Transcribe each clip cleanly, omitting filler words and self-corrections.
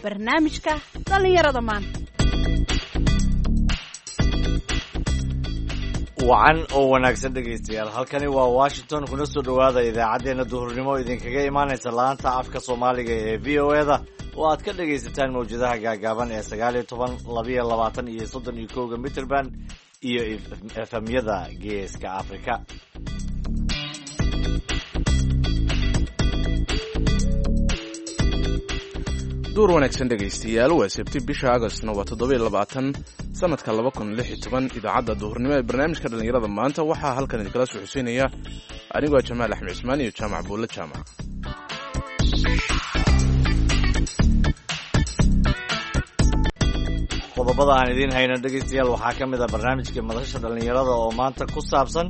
Barnaamijka dhallinyarada maanta. Wacan oo wanaagsan dhegaystayaal, halkani waa Washington. Kuna soo dhowaada idaacaddeenna duhurnimo idinkaga imaanaysa laanta afka Soomaaliga ee VOA-da oo aad ka dhegaysataan mawjadaha gaagaaban ee 19, 22 iyo 31-ka mitrband iyo efemyada Geeska Afrika. Duur wanaagsan dhegaystayaal, waa Sabti, bisha Agostna waa 27, sanadka 2016. Idaacadda duhurnimo ee barnaamijka dhallinyarada maanta waxaa halkan idinkala soo xuseynaya anigoo Jamaal Axmed Cismaan iyo Jaamac Buulle Jaamac. Qodobada aan idiin hayno dhegaystayaal waxaa ka mid a barnaamijka madasha dhallinyarada oo maanta ku saabsan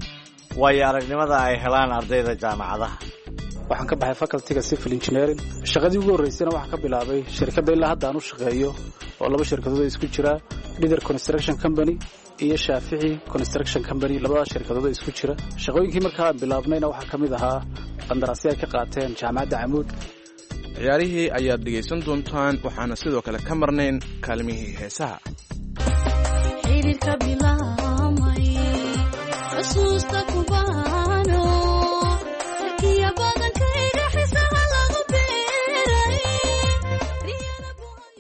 waayo aragnimada ay helaan ardayda jaamacadaha. Waxaan ka baxay facultyga civil engineering. Shaqadii ugu horreysayna waxaan ka bilaabay shirkadda ilaa hadda aan u shaqeeyo, oo laba shirkadood isku jira, Leader Construction Company iyo Shaafici Construction Company, labadaas shirkadood isku jira. Shaqooyinkii markaa aan bilaabnayna waxaa ka mid ahaa qandaraasyo ay ka qaateen Jaamacadda Camuud. Ciyaarihii ayaad dhegaysan doontaan, waxaana sidoo kale ka marnayn kaalmihii heesaha.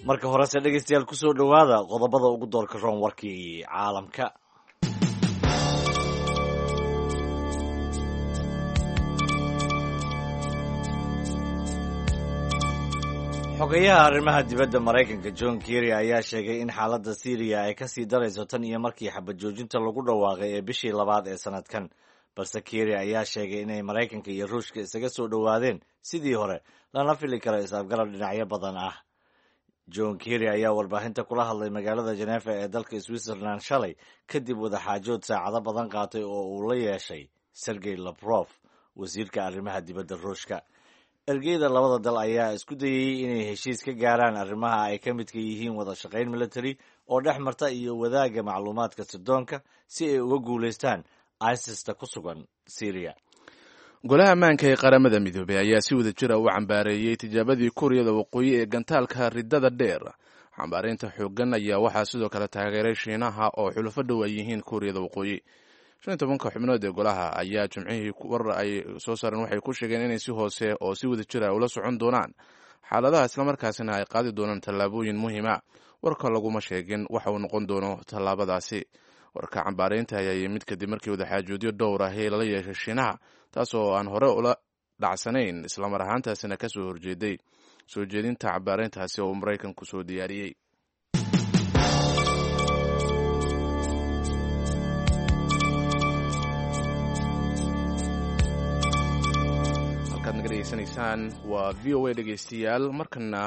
Marka horese dhegaystayaal, kusoo dhowaada qodobada ugu doorka roon warkii caalamka. Xogayaha arrimaha dibadda Maraykanka John Kerry ayaa sheegay in xaaladda Syriya ay kasii darayso tan iyo markii xabad joojinta lagu dhawaaqay ee bishii labaad ee sanadkan. Balse Kerry ayaa sheegay inay Maraykanka iyo Ruushka isaga soo dhowaadeen sidii hore, lana fili karo is-afgarab dhinacyo badan ah. John Kerry ayaa warbaahinta kula hadlay magaalada Genefa ee dalka Switzerland shalay, kadib wadaxaajood saacado badan qaatay oo uu la yeeshay Sergey Lavrov, wasiirka arrimaha dibadda Ruushka. Ergeyda labada dal ayaa isku dayayey inay heshiis ka gaaraan arrimaha ay ka midka yihiin wada shaqayn military oo dhex marta iyo wadaagga macluumaadka sirdoonka si ay uga guulaystaan ISIS-ta ku sugan Syria. Golaha ammaanka ee Qaramada Midoobey ayaa si wada jira u cambaareeyey tijaabadii Kuuriyada Waqooyi ee gantaalka riddada dheer. Cambaareynta xooggan ayaa waxaa sidoo kale taageeray Shiinaha oo xulufo dhow ay yihiin Kuuriyada Waqooyi. 15-ka xubnood ee golaha ayaa Jimcihii warar ay soo saareen waxay ku sheegeen inay si hoose oo si wada jira ula socon doonaan xaaladaha, islamarkaasina ay qaadi doonaan tallaabooyin muhiima. Warka laguma sheegin waxa uu noqon doono tallaabadaasi. Warka cambaareynta ayaa yimid kadib markii wadaxaajoodyo dhowr ahi lala yeeshay Shiinaha, taas oo aan hore ula dhacsanayn, islamar ahaantaasina kasoo horjeeday soo jeedinta cambaareyntaasi oo uu Maraykanku soo diyaariyey. Halkaad naga dhegeysanaysaan waa VOA dhegeystayaal. Markana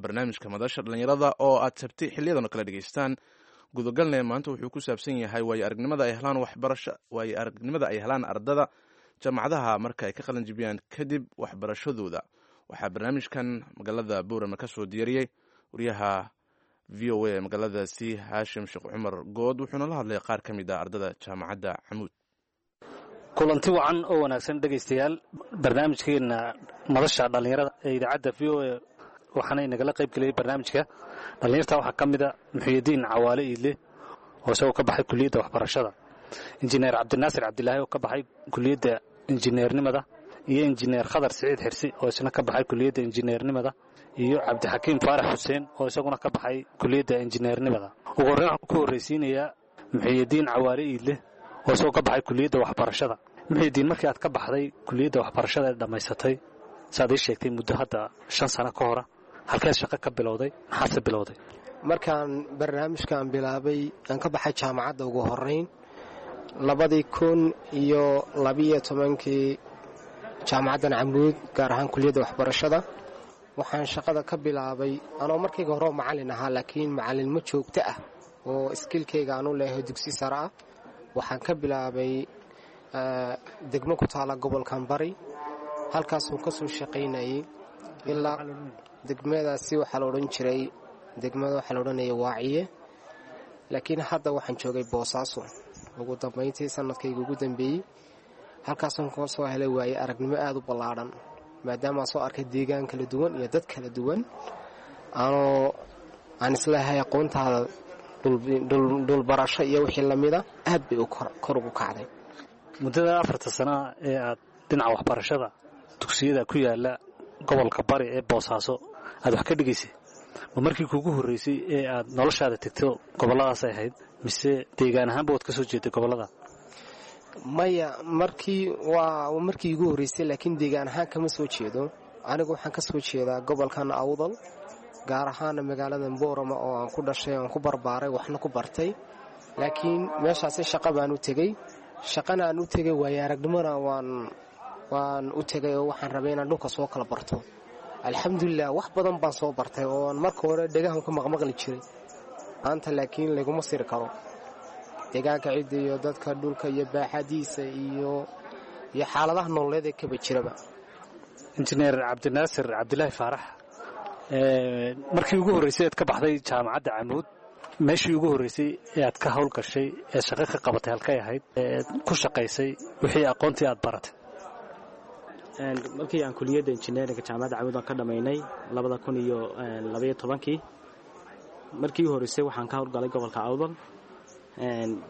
barnaamijka madasha dhallinyarada oo aad Sabti xiliyadan oo kale dhegeystaan gudagalne maanta wuxuu ku saabsan yahay waayo aragnimada ay helaan waxbarasho, waayo aragnimada ay helaan ardada jaamacadaha marka ay ka qalin jibiyaan kadib waxbarashadooda. Waxaa barnaamijkan magaalada Boorama ka soo diyaariyey wariyaha VOA magaaladaasi Haashim Sheekh Cumar Good, wuxuuna la hadlay qaar ka mid ah ardada Jaamacadda Camuud. Kulanti wacan oo wanaagsan dhegaystayaal, barnaamijkeenna madasha dhallinyarada ee idaacadda VOA waxaana inagala qayb geliyey barnaamijka dhallinyarta waxaa ka mida Muxyidiin Cawaale Iidle oo isagoo ka baxay kuliyadda waxbarashada, injineer Cabdinaasir Cabdilaahi oo ka baxay kuliyadda injineernimada, iyo injineer Khadar Siciid Xirsi oo isna ka baxay kuliyadda injineernimada, iyo Cabdixakiim Faarax Xuseen oo isaguna ka baxay kuliyadda injineernimada. Ugu horreyn waxaan ku horraysiinayaa Muxyidiin Cawaale Iidle oo isagoo ka baxay kuliyadda waxbarashada. Muxyidiin, markii aad ka baxday kuliyadda waxbarashada ee dhammaysatay, saaad ii sheegtay muddo hadda 5 sano ka hora, halkeed shaqo ka bilowday, maxaadse bilowday? Markaan barnaamijkan bilaabay, aan ka baxay jaamacadda ugu horeyn 2012-kii jaamacaddan Camuud, gaar ahaan kuliyadda waxbarashada, waxaan shaqada ka bilaabay anoo markayga horeo macallin ahaa, laakiin macallinimo joogto ah oo skillkayga aanu leehay dugsi sare ah. Waxaan ka bilaabay degmo ku taala gobolkan Bari, halkaasuu ka soo shaqaynayay ilaa degmadaasi waxaa la odhan jiray, degmada waxaa la odhanaya Waaciye, laakiin hadda waxaan joogay Boosaaso ugu dambayntii sanadkayga ugu dambeeyey. Halkaasaan ka soo helay waaye aragnimo aada u ballaadhan, maadaamaan soo arkay deegaan kala duwan iyo dad kala duwan. Anoo aan isleehay aqoontaada dhulbarasho iyo wixii lamida aad bay kor ugu kacday. Muddada 4ta sanaa ee aad dhinaca waxbarashada dugsiyada ku yaala gobolka Bari ee Boosaaso aad wax ka dhigaysay, ma markii kuugu horraysay ee aad noloshaada tegto gobolladaas ay ahayd, mise deegaan ahaanba waad ka soo jeeday gobollada? Maya, markii waa markii igu horraysay, laakiin deegaan ahaan kama soo jeedo. Anigu waxaan ka soo jeedaa gobolkan Awdal, gaar ahaana magaalada Boorama oo aan ku dhashay, aan ku barbaaray, waxna ku bartay. Laakiin meeshaasi shaqa baan u tegey, shaqana aan u tegey, waayo aragnimona waan u tegay, oo waxaan rabay inaan dhulka soo kala barto. Alxamdulilah, wax badan baan soo bartay oo aan marka hore dhegahan ka maqmaqli jiray maanta, laakiin laguma siri karo deegaanka, cidda iyo dadka, dhulka iyo baaxadiisa iyo xaaladaha nololeed ee kaba jiraba. Injineer Cabdinaasir Cabdilaahi Faarax, markii ugu horraysay ead ka baxday jaamacadda Camuud, meeshii ugu horraysay ee aad ka hawl gashay ee shaqo ka qabatay halkay ahayd, eed ku shaqaysay wixii aqoontii aad baratay? Markii aan kuliyadda injineerinka jaamacadda Camuud aan ka dhammaynay 2012-kii, markii u horreysay waxaan ka howlgalay gobolka Awdal,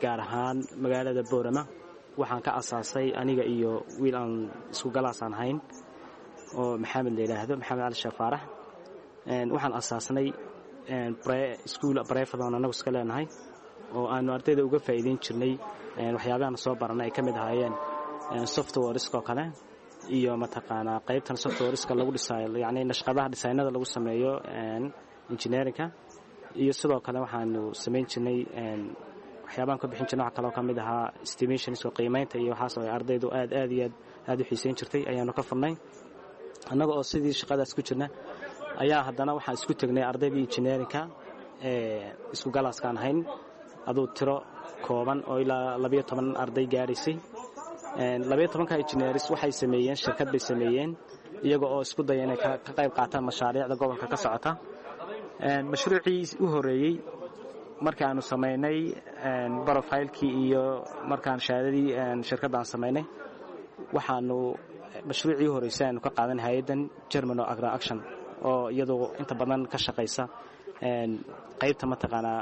gaar ahaan magaalada Boorama. Waxaan ka asaasay aniga iyo wiil aan isku galaasaan hayn oo Maxamed la yidhaahdo, Maxamed Cali Sheekh Faarax. Waxaan asaasnay iskuul private oon annagu iska leenahay oo aanu ardayda uga faa'iideyn jirnay waxyaabahan soo baranay, ay ka mid ahaayeen softwareska oo kale iyo mataqaanaa qaybtan softwareska lagu dhisaayo, yacni nashqadaha dhisaynada lagu sameeyo engineerinka. Iyo sidoo kale waxaanu samayn jirnay waxyaabaan ka bixin jirnay, waxa kaloo ka mid ahaa estimationska, qiimaynta iyo waxaas oo ay ardaydu aad aad iyo aad aad u xiiseyn jirtay ayaanu ka furnay. Annaga oo sidii shaqadaas ku jirna ayaa haddana waxaan isku tegnay ardaydii engineerinka ee isku galaaskaan ahayn, aduu tiro kooban oo ilaa 12 arday gaaraysay. 12-ka engineers waxay sameeyeen shirkad bay sameeyeen, iyaga oo isku daya inay ka qayb qaataan mashaariicda gobolka ka socota. Mashruucii u horreeyey markaanu samaynay profilekii iyo markaan shahaadadii shirkadda aan samaynay, waxaanu mashruucii u horreysay aanu ka qaadan hay-addan German oo Agra Action, oo iyadoo inta badan ka shaqaysa qaybta mataqaanaa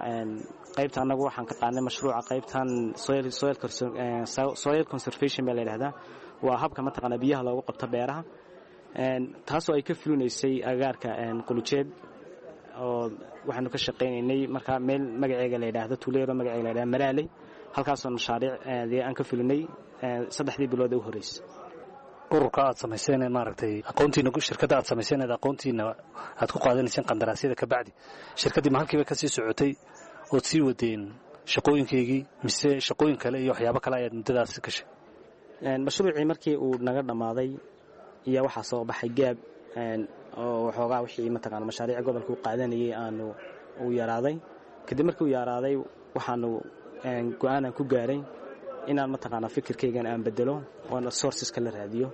qaybta. Annagu waxaan ka qaadnay mashruuca qaybtan soil conservation baa la yidhahdaa, waa habka mataqaanaa biyaha loogu qabto beeraha, taasoo ay ka fulinaysay agaarka Qulujeed, oo waxaanu ka shaqaynaynay markaa meel magaceega la yidhaahdo, tuuleero magaceega la yidhahdo Maraaley, halkaasoo mashaariic dee aan ka fulinay 3dii bilood ee u horreysay. Ururka aad samayseen, maaragtay, aqoontiina, shirkadda aad samayseen eed aqoontiina aad ku qaadanayseen qandaraasyada, ka bacdi shirkaddii ma halkiiba ka sii socotay ood sii wadeen shaqooyinkaygii, mise shaqooyin kale iyo waxyaabo kale ayaad muddadaasi gashay? Mashruucii markii uu naga dhammaaday iyo waxaa soo baxay gap oo waxoogaa wixii mataqaana mashaariic gobolka u qaadanayay aanu uu yaraaday. Kadib markii uu yaraaday, waxaanu go-aanan ku gaaray inaan mataqaana fikirkaygan aan bedelo oona sourceska la raadiyo.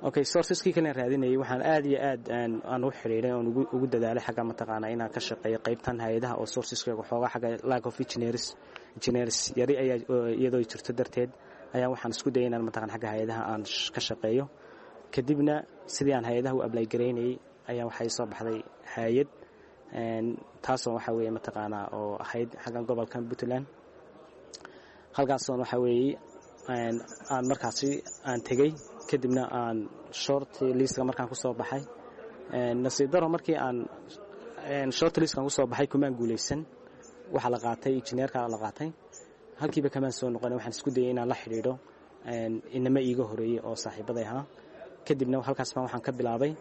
Okay, sourceskii kalen raadinayay, waxaan aad iyo aad aan u xidhiidhay oon ugu dadaalay xagga mataqaana inaan ka shaqeeyo qaybtan hay-adaha, oo sourceska waxoogaa xagga lack of engineers yari ayaa iyadoo jirto darteed ayaa waxaan isku dayay inaan mataqana xagga hay-adaha aan ka shaqeeyo. Kadibna sidii aan hay-adaha u apply garaynayay ayaa waxay soo baxday hay-ad, taasoo waxa weeye mataqaanaa oo ahayd xaggan gobolkan Puntland. Halkaasoon waxa weeye aan markaasi aan tegey, kadibna aan short listka markaan ku soo baxay. Nasiib daro, markii aan short listkan kusoo baxay kumaan guulaysan, waxaa la qaatay injineerka la qaatay. Halkiiba kamaan soo noqon, waxaan isku dayay inaan la xidhiidho inama iiga horeeyey oo saaxiibaday ahaa. Kadibna halkaas baan waxaan ka bilaabay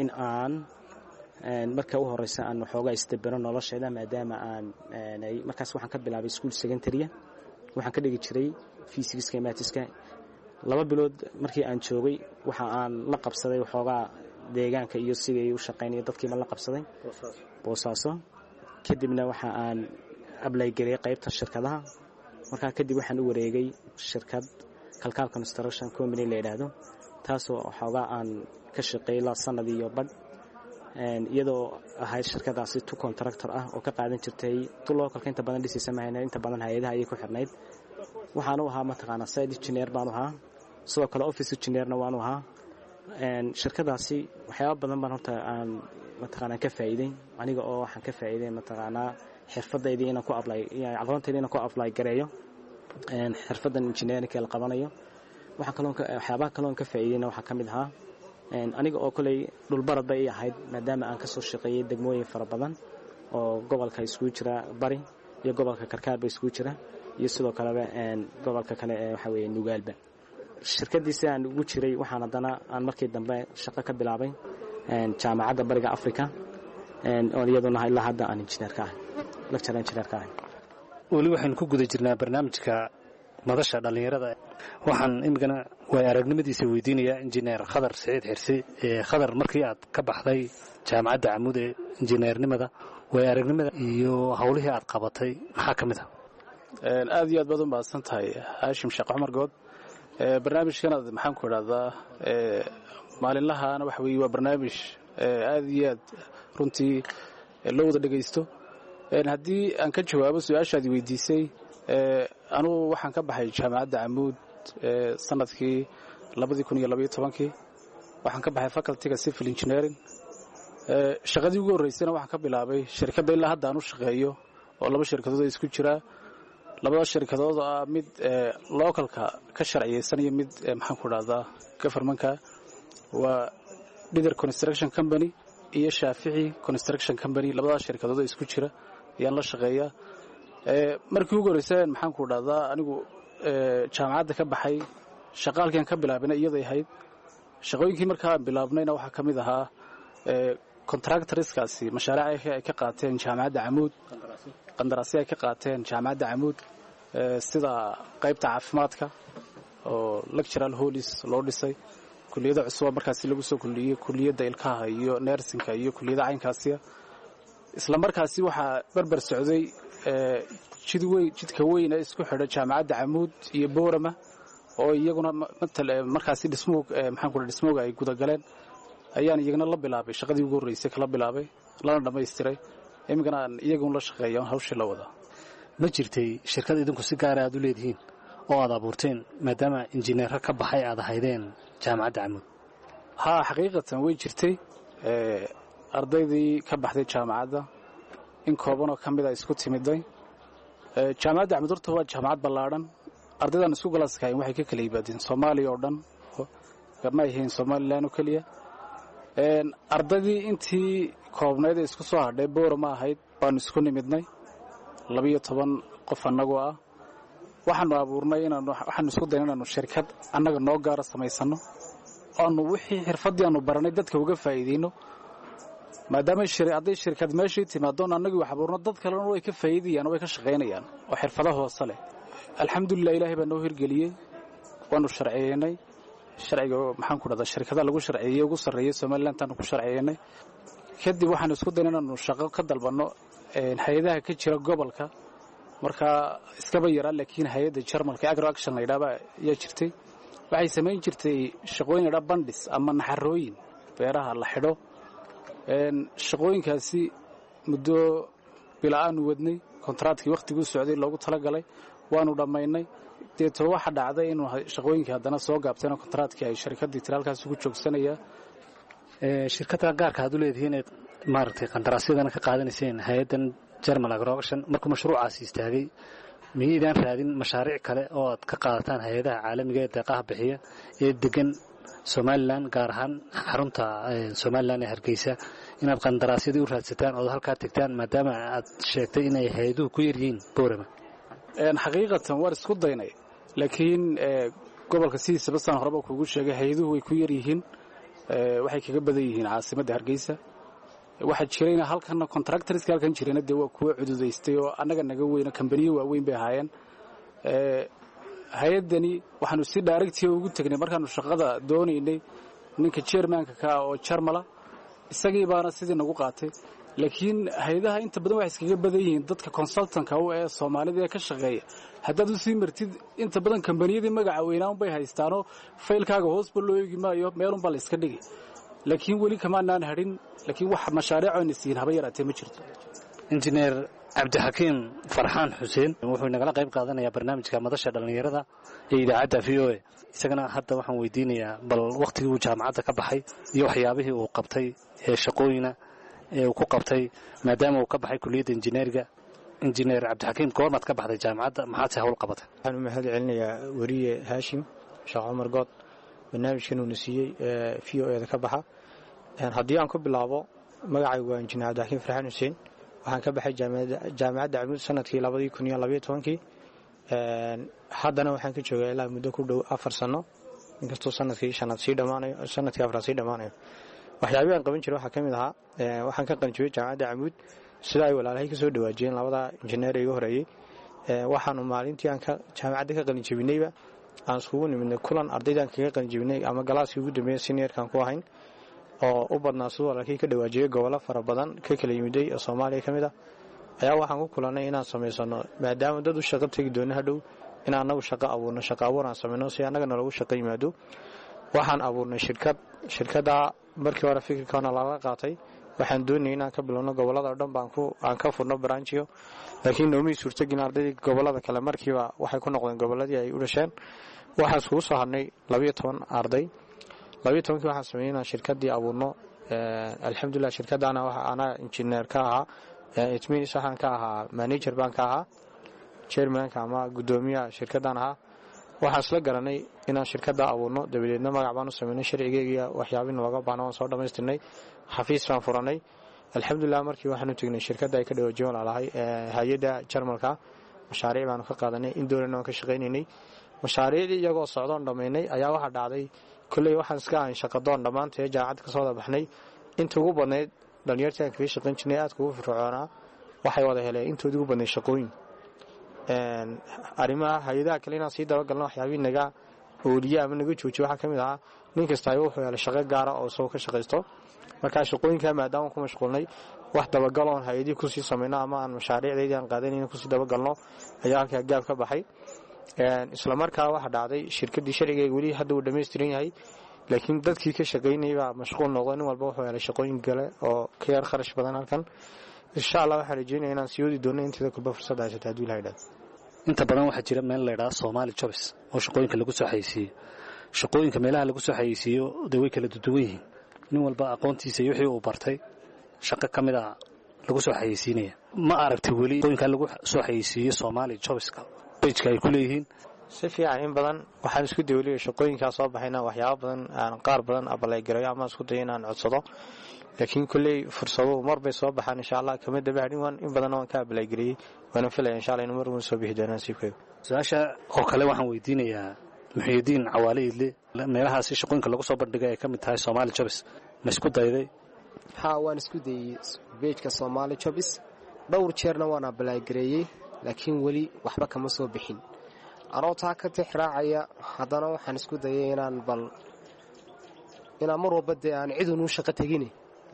in aan marka u horeysa aan waxoogaa isdabero nolosheeda, maadaama aan markaas waxaan ka bilaabay school secondarya, waxaan ka dhigi jiray physicska, mathska. 2 bilood markii aan joogay, waxa aan la qabsaday waxoogaa deegaanka iyo sidii u shaqaynaya dadkiiba la qabsaday Boosaaso. Kadibna waxa aan apply gareeyay qaybta shirkadaha. Markaa kadib waxaan u wareegay shirkad Kalkaal Construction Company la yidhaahdo, taasoo waxoogaa aan ka shaqeeyay ilaa sanad iyo badh, iyadoo ahayd shirkadaasi tu contractor ah oo ka qaadan jirtay tu localka inta badan dhisaysa mahayna, inta badan hay-adaha ayay ku xirnayd. Waxaanu ahaa mataqaanaa site engineer baanu ahaa, sidoo kale office engineerna waanu ahaa. Shirkadaasi waxyaaba badan baan horta aan mataqaanaa ka faa'iiday aniga, oo waxaan ka faa'iiday mataqaanaa xirfadaydii inaan ku apply, aqoontaydi inaan ku apply gareeyo xirfadan engineering la qabanayo. Waxaan kaloo waxyaabaha kaloon ka faa'iidayna waxaa ka mid ahaa, aniga oo koley dhulbarad bay ii ahayd, maadaama aan kasoo shaqeeyey degmooyin fara badan oo gobolka iskugu jira Bari iyo gobolka Karkaarba iskugu jira, iyo sidoo kaleba gobolka kale ee waxa weeye Nugaalba. Shirkaddii si aan ugu jiray, waxaan haddana aan markii dambe shaqo ka bilaabay Jaamacadda Bariga Africa, oo iyaduna ilaa hadda aan engineer ka ahay, lecturer engineer ka ahay. Weli waxaynu ku guda jirnaa barnaamijka Madasha Dhallinyarada. Waxaan imikana waay aragnimadiisa weydiinayaa Injineer Khadar Siciid Xirsi. Khadar, markii aad ka baxday Jaamacadda Camuud ee injineernimada, waay aragnimada iyo howlihii aad qabatay maxaa ka mid ah? Aad iyo aad baad u mahadsan tahay, Haashim Sheekh Cumar Good. Barnaamijkanaad, maxaan ku idhahdaa, maalinlahaana waxa weeye waa barnaamij aad iyo aad runtii loo wada dhegaysto. Haddii aan ka jawaabo su-aashaad weydiisay, anugu waxaan ka baxay Jaamacadda Camuud sanadkii 2012-kii. Waxaan ka baxay facultyga civil engineering. Shaqadii ugu horreysayna waxaan ka bilaabay shirkadda ilaa hadda aan u shaqeeyo, oo laba shirkadood isku jiraa, labada shirkadood oo ah mid localka ka sharciyeysan iyo mid, maxaan ku idhahdaa, governmentka. Waa Dhider Construction Company iyo Shaafici Construction Company. Labadaas shirkadood oo isku jira ayaan la shaqeeyaa. Markii ugu horreysay, maxaan ku idhahdaa, anigu jaamacadda ka baxay, shaqaalkian ka bilaabina iyaday ahayd. Shaqooyinkii markaa aan bilaabnayna waxaa ka mid ahaa contractorskaasi mashaariic ay ka qaateen Jaamacadda Camuud, qandaraasyo ay ka qaateen Jaamacadda Camuud, sida qaybta caafimaadka oo lectural halls loo dhisay, kuliyada cusuba markaasi lagu soo kuliyey, kuliyadda ilkaha iyo nursingka iyo kuliyada caynkaasiya. Isla markaasi waxaa berber socday jid weyn, jidka weyn ee isku xidha Jaamacadda Camuud iyo Boorama, oo iyaguna markaasi dhismuhu, maxaan ku dhismooga ay gudagaleen, ayaan iyagana la bilaabay shaqadii ugu horreysay, kala bilaabay, lana dhammaystiray. Iminkana aan iyagun la shaqeeya, hawshii la wadaa. Ma jirtay shirkad idinku si gaara aad u leedihiin oo aad abuurteen, maadaama injineero ka baxay aad ahaydeen Jaamacadda Camuud? Haa, xaqiiqatan way jirtay. Ardaydii ka baxday jaamacadda in koobanoo ka mid a isku timiday. Jaamacadda Camuud horta waa jaamacad ballaadhan. Ardaydan isku galaaskahayn waxay ka kala yimaadeen Soomaaliya oo dhan, ma ahayn Somalilan oo keliya. Ardaydii intii koobnayd ee isku soo hadhay Boorama ahayd baanu isku nimidnay, 12 qof annagoo ah. Waxaanu abuurnay inaan, waxaanu isku dayna inaanu shirkad annaga noo gaara samaysanno, aanu wixii xirfaddii aanu baranay dadka uga faa'iideyno, maadaama hadday shirkad meeshii timaadoon annagii wax abuurno, dad kalena way ka faa'iidayaan oo way ka shaqaynayaan oo xirfado hoose leh. Alxamdulilah, Ilaahay baa noo hirgeliyey. Waanu sharciyeynay sharciga, maxaan ku dhahdaa, shirkadaha lagu sharciyeeyey ugu sarreeyey Somalilantaanu ku sharciyeynay. Kadib waxaanu isku dayna inaanu shaqo ka dalbanno hay-adaha ka jira gobolka. Markaa iskaba yaraa, laakiin hay-adda Jarmalka Agro Action la yidhahba ayaa jirtay. Waxay samayn jirtay shaqooyin la yidhaha bandhis ama naxarooyin beeraha la xidho. Shaqooyinkaasi muddo bila-aanu wadnay. Kontraatkii wakhtiguu socday loogu talagalay waanu dhammaynay. Deeto waxa dhacday inuu shaqooyinkii haddana soo gaabteen oo kontraatkii ay shirkaddii tiri halkaas ugu joogsanayaa. Shirkadda gaarka aad u leedihiin eed maaragtay qandaraasyadana ka qaadanayseen hay-addan German Agro Action, markuu mashruucaasi istaagay, miyaydaan raadin mashaariic kale oo aad ka qaadataan hay-adaha caalamiga ee deeqaha bixiya ee degan Somalilan, gaar ahaan xarunta Somalilan ee Hargeysa, inaad qandaraasyadii u raadsataan ood halkaa tegtaan, maadaama aad sheegtay inay hay-aduhu ku yaryihiin Boorama? Xaqiiqatan waan isku daynay, laakiin gobolka sidiisaba, saan horeba kuugu sheegay, hay-aduhu way ku yaryihiin, waxay kaga badan yihiin caasimadda Hargeysa. Waxaa jirayna halkana contractorska halkan jirayna dee waa kuwo cududaystay oo annaga naga weyno, kambaniyo waaweyn bay ahaayeen. Hay-addani waxaanu si directiga ugu tegnay markaanu shaqada doonaynay ninka chairmanka ka ah oo Jarmala, isagii baana sidii nagu qaatay. Laakiin hay-adaha inta badan waxay iskaga badan yihiin dadka consultanka u ee Soomaalida ee ka shaqeeya. Haddaad u sii martid, inta badan kambaniyadii magaca weynaanbay haystaanoo faylkaaga hoosba loo eegi maayo, meelunbaa la iska dhigi. Laakiin weli kamaanaan hadhin, laakiin wax mashaariicoona siin haba yaraatee ma jirto. Injineer Cabdixakiim Farxaan Xuseen wuxuu inagala qayb qaadanayaa barnaamijka madasha dhallinyarada ee idaacadda VOA. Isagana hadda waxaan weydiinayaa bal wakhtigii uu jaamacadda ka baxay iyo waxyaabihii uu qabtay ee shaqooyina ee uu ku qabtay maadaama uu ka baxay kulliyadda injineeriga. Injineer Cabdixakiim, goormaad ka baxday jaamacadda, maxaad se hawl qabatay? Waxaan u mahad celinayaa weriye Haashim Sheekh Cumar Good barnaamijkan uuna siiyey VOA da ka baxa. Haddii aan ku bilaabo, magacaygu waa injineer Cabdixakiim Farxaan Xuseen. Waxaan ka baxay jaamacadda Camuud sanadkii 2012-kii. Haddana waxaan ka joogaa ilaa muddo ku dhow 4 sano, inkastoo sanadkii shanaad sii dhammaanayo, sanadkii afraad sii dhammaanayo. Waxyaabihii aan qaban jiray waxaa ka mid ahaa, waxaan ka qalinjibiyey jaamacadda Camuud, sida ay walaalahay ka soo dhawaajiyeen labada injineer iga horeeyey. Waxaanu maalintii aan jaamacadda ka qalinjibinayba aan iskugu nimidnay kulan ardaydaan kaga qalinjibinay ama galaaskii ugu dambeeya seniorkaan ku ahayn, oo u badnaa siduu walaalkii ka dhawaajiyey gobollo fara badan ka kala yimiday oo Soomaaliya ka mid ah. Ayaa waxaan ku kulannay inaan samaysano, maadaama dad u shaqo tegi doono hadhow, in annagu shaqo abuurno, shaqo abuur aan samayno si annagana loogu shaqo yimaado. Waxaan abuurnay shirkad. Shirkaddaa markii hore fikirkoona lala qaatay. Waxaan doonayay inaan ka bilowno gobollada oo dhan baan aan ka furno branchyo, laakiin noomii suurtagelin. Ardaydii gobollada kale markiiba waxay ku noqdeen gobolladii ay u dhasheen. Waxaan iskugu soo hadhnay 12 arday. 12-kii waxaan sameeyey inaan shirkaddii abuurno. Alxamdulilah, shirkaddaana waxa anaa injineer ka ahaa, it means waxaan ka ahaa manager baan ka ahaa, chairmanka ama guddoomiyaha shirkaddan ahaa. Waxaan isla garanay inaan shirkadda abuurno, dabadeedna magac baan u samaynay, sharcigeegiya waxyaabina looga baahna waan soo dhammaystirnay, xafiis baan furanay. Alxamdulilah, markii waxaanu tegnay shirkadda ay ka dhawaajiyen walaalahay, hay-adda Jarmalka. Mashaariic baanu ka qaadanay, in dowlana waan ka shaqaynaynay. Mashaariicdii iyagoo socdoon dhammaynay ayaa waxaa dhacday, kolley waxaan iska ahayn shaqadoon dhammaantee jaamacadda kasoo wada baxnay. Inta ugu badnayd dhalinyartii aan kaga shaqayn jirnay aadka ugu firfircoonaa waxay wada heleen intoodii ugu badnayd shaqooyin arrimaha hay-adaha kale. Inaan sii dabagalno waxyaabihii naga ooliye ama naga joojiye waxaa ka mid ahaa, nin kastaayo wuxuu helay shaqo gaara oo isagoo ka shaqaysto. Markaa shaqooyinkaa maadaama ku mashquulnay, wax dabagaloon hay-adihii kusii samayno ama aan mashaariicdeydii aan qaadanayna kusii dabagalno ayaa halkaa gaab ka baxay. Isla markaa waxaa dhacday, shirkaddii sharcigeega weli hadda uu dhammaystiran yahay, laakiin dadkii ka shaqaynayay baa mashquul noqdo. Nin walba wuxuu helay shaqooyin kale oo ka yar kharash badan halkan. Insha Allah, waxaan rajeynaya inaan sii wadi doono inteeda kulba fursadda haysata, hadduu Ilaha idhahdo. Inta badan waxaa jira meel la ydhaha Somali Jobs oo shaqooyinka lagu soo xayeysiiyo. Shaqooyinka meelaha lagu soo xayeysiiyo dee way kala duduwan yihiin. Nin walba aqoontiisa iyo wixii uu bartay shaqo ka mid a lagu soo xayeysiinaya. Ma aragtay weli shaqooyinka lagu soo xayeysiiyo Somali Jobska pageka ay ku leeyihiin? Si fiican, in badan waxaan isku day weliba shaqooyinkaa soo baxayna waxyaaba badan aan qaar badan apply gareeyo ama isku dayo inaan codsado, laakiin kolley fursaduhu mar bay soo baxaan. Insha Allah, kama daba hadhin. Waan in badanna waan ka apply gareeyey, waana filaya insha Allah inuu mar uun soo bixi doono nasiibkaygu. Su-aasha oo kale waxaan weydiinayaa Muxiyidiin Cawaale Idle. Meelahaasi shaqooyinka lagu soo bandhigay ay ka mid tahay Somali Jobs, ma isku dayday? Haa, waan isku dayey pageka Somali Jobs dhowr jeerna waan apply gareeyey, laakiin weli waxba kama soo bixin. Anoo taa ka tix raacaya, haddana waxaan isku dayay inaan bal inaan mar walba dee aan cidunuu shaqo tegine,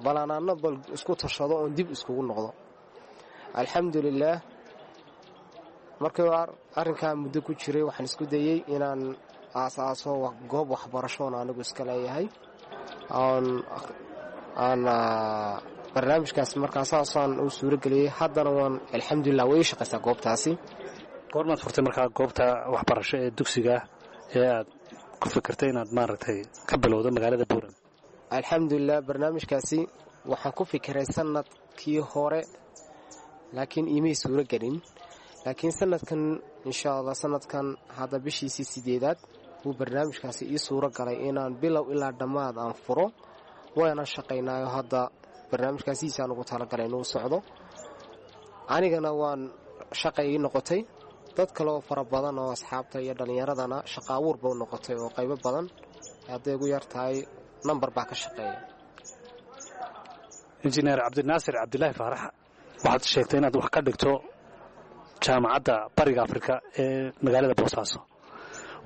bal aan anna bal isku tashado oon dib iskugu noqdo. Alxamdulilaah, markii arrinkaa muddo ku jiray, waxaan isku dayey inaan aas-aaso goob waxbarashoon anigu iska leeyahay oon aan barnaamijkaas. Markaa saasaan u suurageliyey. Haddana waan alxamdulilah, way ii shaqaysaa goobtaasi. Goormaad furtay markaa goobta waxbarasho ee dugsiga ee aad ku fikirtay inaad maaragtay ka bilowdo magaalada Buuran? Alxamdulilah, barnaamijkaasi waxaan ku fikiray sanadkii hore, laakiin iimay suuro gelin. Laakiin sanadkan, insha Allah, sanadkan hadda bishiisii 8aad buu barnaamijkaasi ii suuro galay inaan bilow ilaa dhammaad aan furo. Waana shaqaynaayo hadda barnaamijkaasiisaan ugu talagalay inuu socdo. Anigana waan shaqay ii noqotay, dad kaleoo fara badan oo asxaabta iyo dhallinyaradana shaqa abuur ba u noqotay, oo qaybo badan hadday ugu yar tahay nambar baa ka shaqeeya. Injineer Cabdinaasir Cabdilaahi Faarax, waxaad sheegtay inaad wax ka dhigto Jaamacadda Bariga Afrika ee magaalada Boosaaso.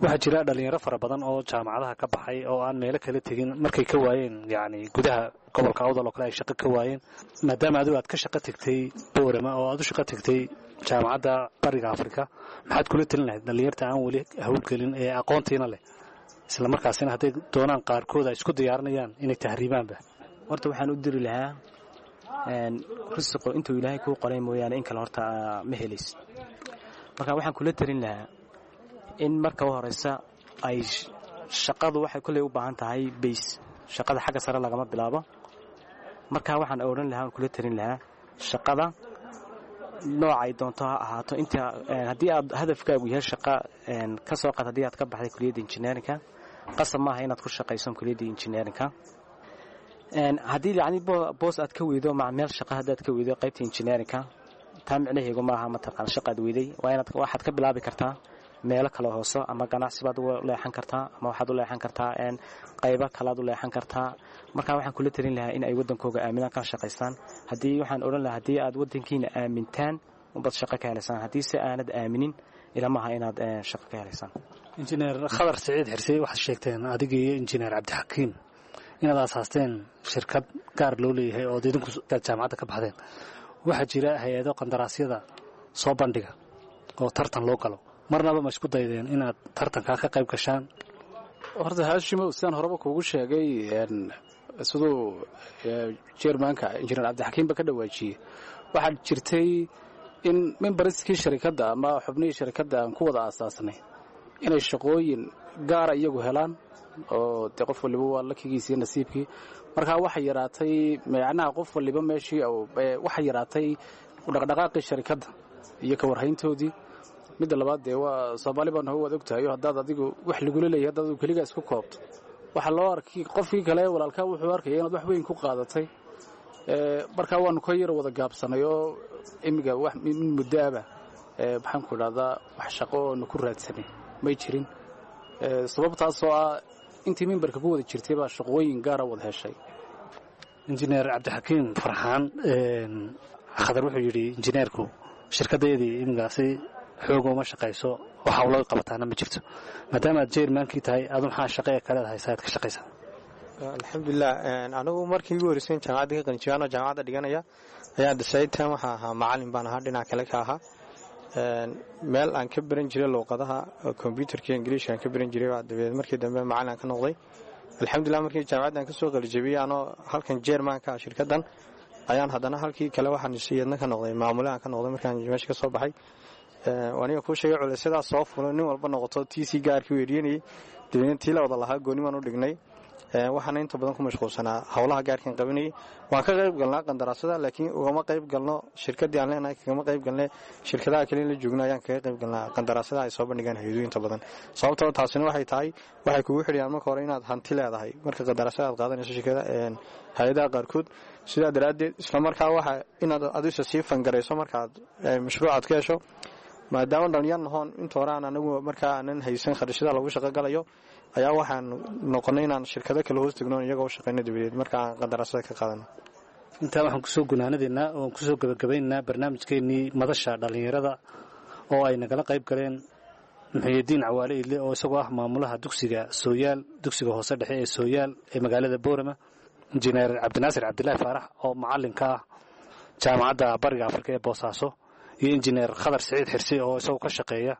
Waxaa jira dhallinyaro fara badan oo jaamacadaha ka baxay oo aan meelo kala tegin markay ka waayeen, yacni gudaha gobolka Awdal oo kale ay shaqo ka waayeen. Maadaama adigu aad ka shaqo tegtay Boorama oo aad u shaqo tegtay Jaamacadda Bariga Afrika, maxaad kula telin lahayd dhallinyarta aan weli howlgelin ee aqoontiina leh, isla markaasina hadday doonaan qaarkood ay isku diyaarinayaan inay tahriibaanba? Horta waxaan u diri lahaa Rusiqo intuu Ilaahay kuu qoray mooyaane in kale horta ma helaysid. Marka waxaan kula tarin lahaa in marka u horeysa ay shaqadu waxay kolley u baahan tahay bays. Shaqada xagga sare lagama bilaabo. Marka waxaan odhan lahaa, aan kula tarin lahaa, shaqada noocay doonto ha ahaato, inta haddii aad hadafkaagu yahay shaqa ka soo qaad, haddii aad ka baxday kuliyadda engineerinka, qasab maaha inaad ku shaqayso kuliyadda engineerinka. Haddii yacni boos aad ka weydo ma meel shaqa haddaad ka weydo qaybta engineerinka, taa micnaheegu maaha mataqaan shaqaad weyday. Waa inaad waxaad ka bilaabi kartaa meelo kale hooso, ama ganacsi baad u leexan kartaa, ama waxaad u leexan kartaa qaybo kalaad u leexan kartaa. Marka waxaan kula tarin lahaa in ay waddankooga aaminaan, kana shaqaystaan. Haddii waxaan odhan lahaa, haddii aad waddankiina aamintaan unbaad shaqo ka helaysaan. Haddii se aanad aaminin, ilamaha inaad shaqo ka helaysaan. Injineer Khadar Siciid Xirse, waxaad sheegteen adiga iyo injineer Cabdixakiim inaad aasaasteen shirkad gaar loo leeyahay oo idinku jaamacadda ka baxdeen. Waxaa jira hay-ado qandaraasyada soo bandhiga oo tartan loo galo. Marnaba ma isku daydeen inaad tartankaa ka qayb gashaan? Horta Haashimow, sidaan horeba kuugu sheegay, siduu chairmanka injineer Cabdixakiimba ka dhawaajiyey, waxaa jirtay in memberskii sharikadda ama xubnihii sharikadda aan ku wada aasaasnay inay shaqooyin gaara iyagu helaan, oo dee qof waliba waa lakigiisa iyo nasiibkii. Markaa waxay yaraatay macnaha qof waliba meeshii, waxay yaraatay dhaqdhaqaaqii sharikadda iyo ka warhayntoodii. Midda labaad, dee waa Soomaali baan ho, waad ogtahay, haddaad adigu wax lagula leeyahay haddaad adigu keligaa isku koobto, waxaa loo arkay qofkii kale walaalkaa wuxuu arkaya inaad wax weyn ku qaadatay. Markaa waanu ka yar wada gaabsanay oo imiga wax min muddoaba, maxaan ku idhahdaa, wax shaqo oonu ku raadsanay may jirin, sababtaasoo ah intii mimbarka ku wada jirtay baa shaqooyin gaara wada heshay. Injineer Cabdixakiim Farxaan, Khadar wuxuu yidhi injineerku shirkaddeedii iminkaasi xoog uma shaqayso oo hawlo qabataana ma jirto. Maadaama aad chairmankii tahay, adu maxaa shaqee kaleed haysaa aad ka shaqaysaa? Alxamdulilah, anigu markii igu horreysay jaamacadda ka qalinjibaan oo jaamacadda dhiganaya ayaa dasaytan waxaa ahaa macalin baan ahaa, dhinac kale ka ahaa, meel aan ka baran jiray luuqadaha kombyutarka Ingiliishka aan ka baran jiray. Dabeed markii dambe macalin aan ka noqday, alxamdulilah. Markii jaamacadda aan kasoo qalijabiyey, anoo halkan chairmanka ah shirkaddan, ayaan haddana halkii kale waxaan iyadna ka noqday maamule aan ka noqday. Markaan meesha ka soo baxay, aniga kuu sheegay culaysyadaas soo fulo, nin walba noqoto tiisii gaarkii weeriyanayay. Dabeedna tii la wada lahaa gooni baan u dhignay. Waxaana inta badan ku mashquulsanaa howlaha gaarkan qabanayay. Waan ka qayb galnaa qandaraasada, laakiin ugama qayb galno shirkadii aan leenahay, kagama qayb galne. Shirkadaha kale in la joogno ayaan kaga qayb galnaa qandaraasada ay soo bandhigaan hay-aduhu inta badan. Sababtoo taasina waxay tahay, waxay kugu xidhiyaan marka hore inaad hanti leedahay marka qandaraasada aad qaadanayso shirkada hay-adaha qaarkood. Sidaa daraaddeed isla markaa waxa inaad adisa sii fangarayso markaad mashruucaad ka hesho, maadaama dhalinyar nahoon inta hore aan anagu markaa aanan haysan kharashada lagu shaqo galayo, ayaa waxaan noqonay inaan shirkado kale hoos tegno, iyagoo u shaqayno, dabadeed marka aan qandaraasada ka qaadano. Intaa waxaan kusoo gunaanadaynaa oon kusoo gebagabaynaynaa barnaamijkeennii madasha dhallinyarada oo ay nagala qayb galeen Muxuyidiin Cawaale Idle oo isagoo ah maamulaha dugsiga Sooyaal, dugsiga hoose dhexe ee Sooyaal ee magaalada Boorama, injineer Cabdinaasir Cabdilaahi Faarax oo macallinka ah Jaamacadda Bariga Afrika ee Boosaaso, iyo injineer Khadar Siciid Xirsi oo isagoo ka shaqeeya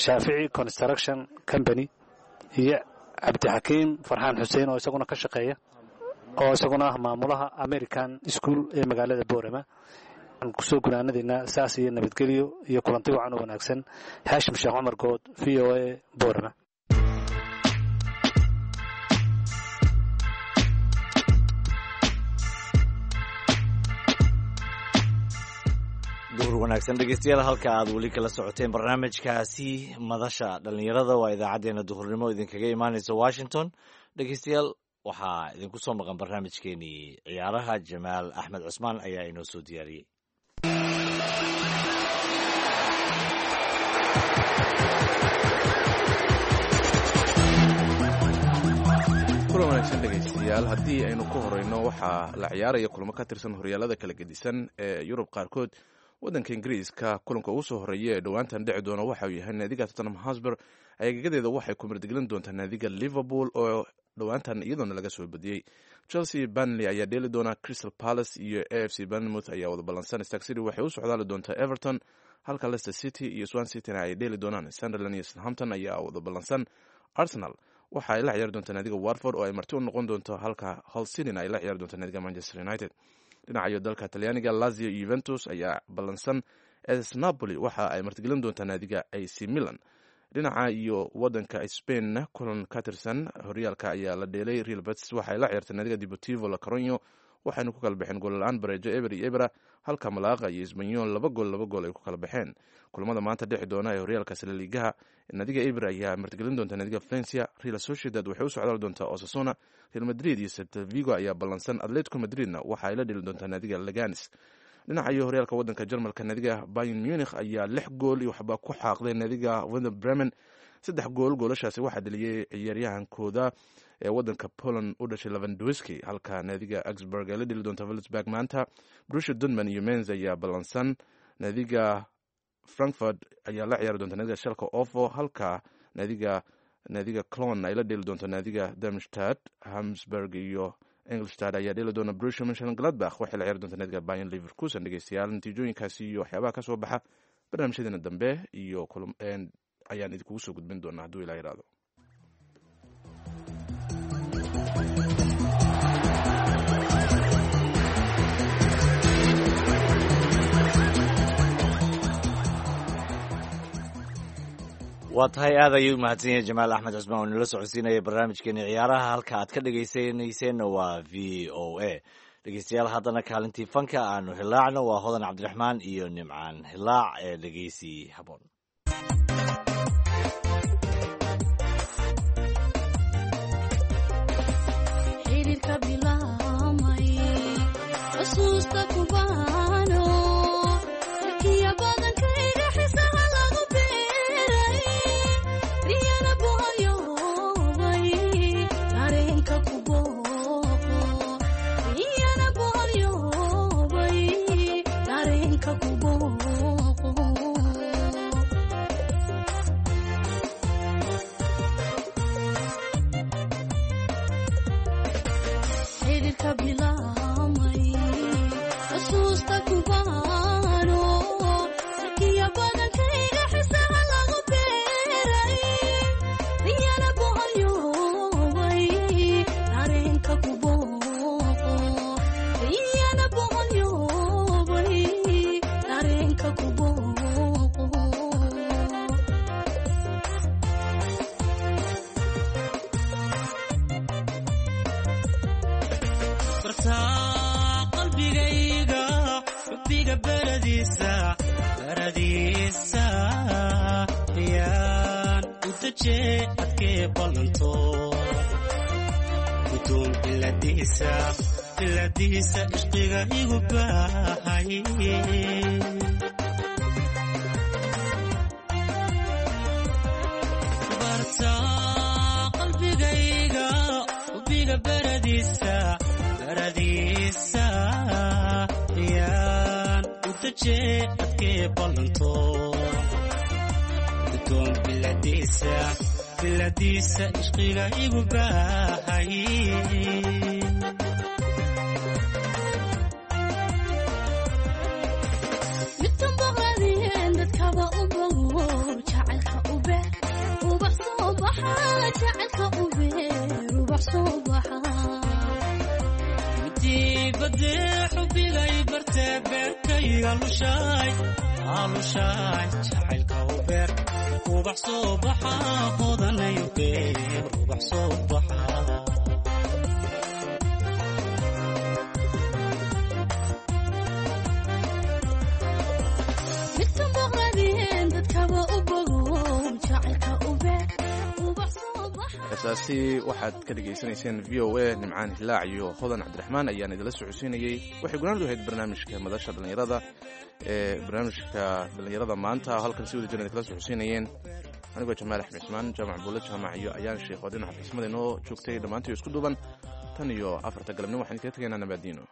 Shaafici Construction Company, iyo Cabdixakiim Farxaan Xuseen oo isaguna ka shaqeeya oo isaguna ah maamulaha American School ee magaalada Boorama. Waxaan kusoo gunaanadaynaa saas iyo nabadgelyo iyo kulanti wacan oo wanaagsan. Haashim Sheekh Cumar Good, VOA, Boorama. Duhur wanaagsan dhegeystayaal, halka aad weli kala socoteen barnaamijkaasi madasha dhallinyarada waa idaacaddeenna duhurnimo idinkaga imaaneysa Washington. Dhegeystayaal, waxaa idinku soo maqan barnaamijkeenii ciyaaraha. Jamaal Axmed Cusmaan ayaa inoo soo diyaariyey. Kulan wanaagsan dhegaystayaal. Haddii aynu ku horeyno, waxaa la ciyaaraya kulamo ka tirsan horyaalada kala gedisan ee Yurub qaarkood. Waddanka Ingiriiska kulanka ugu soo horeeya ee dhowaantan dhici doona waxa uu yahay naadiga Tottenham Hotspur agagadeeda waxay ku martigelin doontaa naadiga Liverpool oo dhowaantan iyadoona laga soo badiyey. Chelsea Burnley ayaa dheeli doona, Crystal Palace iyo AFC Bournemouth ayaa wada ballansan, Stoke City waxay u socdaali doontaa Everton, halka Leicester City iyo Swansea City ay dheeli doonaan. Sunderland iyo Southampton ayaa wada ballansan. Arsenal waxa ay la ciyaari doontaa naadiga Watford oo ay marti u noqon doonto, halka Hull City ay la ciyaari doontaa naadiga Manchester United. Dhinacayo dalka Talyaaniga, Lazio iyo Juventus ayaa ballansan. S Napoli waxa ay martigelin doontaa naadiga AC Milan. Dhinaca iyo wadanka Spain, kulan ka tirsan horyaalka ayaa la dheelay. Real Betis waxay la ciyaartay naadiga Deportivo La Coruña, waxayna ku kala baxeen goolla-aan bareejo 0-0, halka Malaaqa iyo Isbanyol 2 gool 2 gool ay ku kala baxeen. Kulamada maanta dhici doona ee horyaalka Laligaha, naadiga Eibar ayaa martigelin doonta naadiga Valencia. Real Sociedad waxay u socdaal doontaa Osasuna. Real Madrid iyo Celta Vigo ayaa ballansan. Atletico Madridna waxa ay la dheli doontaa naadiga Leganes. Dhinaca iyo horyaalka wadanka Jarmalka, naadiga Bayern Munich ayaa 6 gool iyo waxba ku xaaqday naadiga Werder Bremen. Saddex gool goolashaasi waxaa dheliyey ciyaaryahankooda ee wadanka Poland u dhashay Lewandowski, halka naadiga Augsburg ay la dheli doonta Wolfsburg maanta. Borussia Dortmund iyo Mainz ayaa ballansan. Naadiga Frankfurt ayaa la ciyaari doonta naadiga Schalke 04, halka naadiga Cologne ay la dheli doonto naadiga Darmstadt. Hamburg iyo Ingolstadt ayaa dheeli doona. Borussia Mönchengladbach waxay la ciyaari doonta naadiga Bayer Leverkusen. Dhegeystayaal, natiijooyinkaasi iyo waxyaabaha ka soo baxa barnaamijyadeena dambe iyo ayaan idinkugu soo gudbin doonaa hadduu Ilaah yiraahdo. Waa tahay, aad ayuu mahadsan yahay Jamaal Axmed Cusmaan oo nala socodsiinaya barnaamijkeeni ciyaaraha. Halka aad ka dhegaysanayseena waa VOA. Dhegeystayaal, haddana kaalintii fanka aanu hilaacno. Waa Hodan Cabdiraxmaan iyo Nimcaan Hilaac ee dhegeysi haboon. Xiriirka bilaabmay, xusuusta kubaano, kiya badankayga xisaha lagu beeray, riyana boqoryoobay, dareenka ku booqo, riyana boqoryoobay, dareenka ku booqo. Xiriirka bilaabmay, xusuusta kubaano, kiya badankayga xisaha lagu beeray, riyana boqoryoobay, dareenka ku booqo, riyana boqoryoobay, dareenka ku booqo. Bartaa qalbigayga xubbiga baradiisa baradiisa yaan u dajee adkee ballanto gudoon biladiisa biladiisa ishqiga igu baahay. Bartaa qalbigayga xubbiga baradiisa baradiisa yaan u dajee adkee ballanto gudoon biladiisa biladiisa ishqiga igu baahay. Midkan boqradeen dadkaba u bogo, jacaylka u beer ubax soo baxa, jacaylka u beer ubax soo baxa. Midibadee xubigay bartee beerkayga lushaay lushaay, jacaylka u beer ubax soo baxa, hodanayo beer ubax soo baxa. Midkan boqradeen dadkaba u bogo, jacaylka u beer ubax soo baxa. Heesaasi waxaad ka dhegaysanayseen VOA. Nimcaan Hilaac iyo Hodan Cabdiraxmaan ayaan idinla socodsiinayey. Waxay gunaandu ahayd barnaamijka madasha dhallinyarada ee barnaamijka dhallinyarada maanta. Halkan si wada jiran idinkala socodsiinayeen anigoo Jamaal Axmed Cismaan, Jaamac Buulle Jaamac iyo Ayaan Sheekh oo dhinaca farsamada inoo joogtay. Dhammaantii isku duuban, tan iyo 4ta galabnimo waxaan idinkaga tegaynaa nabaadiino.